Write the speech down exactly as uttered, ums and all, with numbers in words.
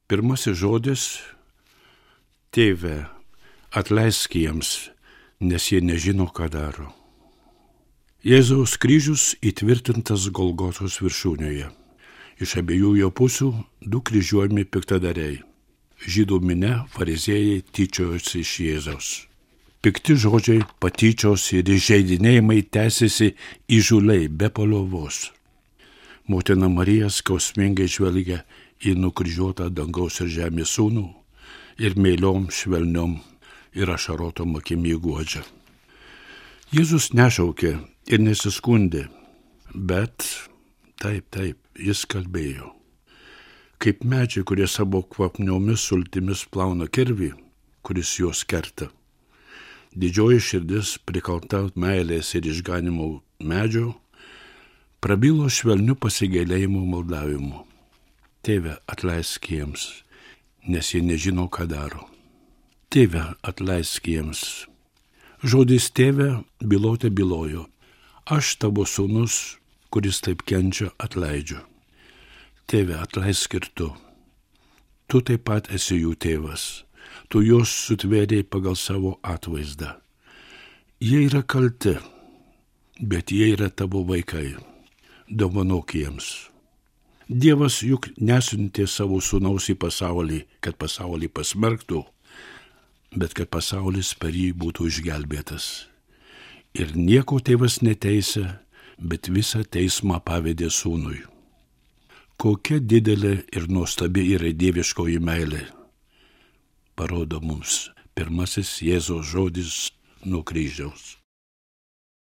Pirmasis žodis - Tėve, atleisk jiems, nes jie nežino, ką daro. Jėzaus kryžius įtvirtintas Golgotos viršūnėje. Iš abiejų jo pusių du kryžiuojami piktadariai. Žydų minia, fariziejai tyčiojosi iš Jėzaus. Pikti žodžiai, patyčios ir įžeidinėjimai tęsiasi įžūliai be paliovos. Motina Marija skausmingai žvelgia į nukryžiuotą dangaus ir žemės sūnų ir meiliom, švelniom ir ašarotom akimi guodžia. Jėzus nešaukė ir nesiskundė, bet taip, taip, jis kalbėjo. Kaip medžiai, kurie savo kvapniomis sultimis plauna kirvį, kuris juos kerta. Didžioji širdis, prikalta meilės ir išganimo medžio, prabilo švelniu pasigailėjimu maldavimu. Tėve, atleisk jiems, nes jie nežino, ką daro. Tėve, atleisk jiems. Žodis tėve bylotė bylojo. Aš tavo sūnus, kuris taip kenčia, atleidžiu. Tėve, atleisk ir tu. Tu taip pat esi jų tėvas. Tu juos sutvėrėjai pagal savo atvaizdą. Jie yra kalti, bet jie yra tavo vaikai. Dovanok jiems. Dievas juk nesiuntė savo sūnaus į pasaulį, kad pasaulį pasmerktų, bet kad pasaulis per jį būtų išgelbėtas. Ir nieko tėvas neteisė, bet visą teismą pavedė sūnui. Kokia didelė ir nuostabi yra dieviškoji meilė, parodo mums pirmasis Jėzaus žodis nuo kryžiaus.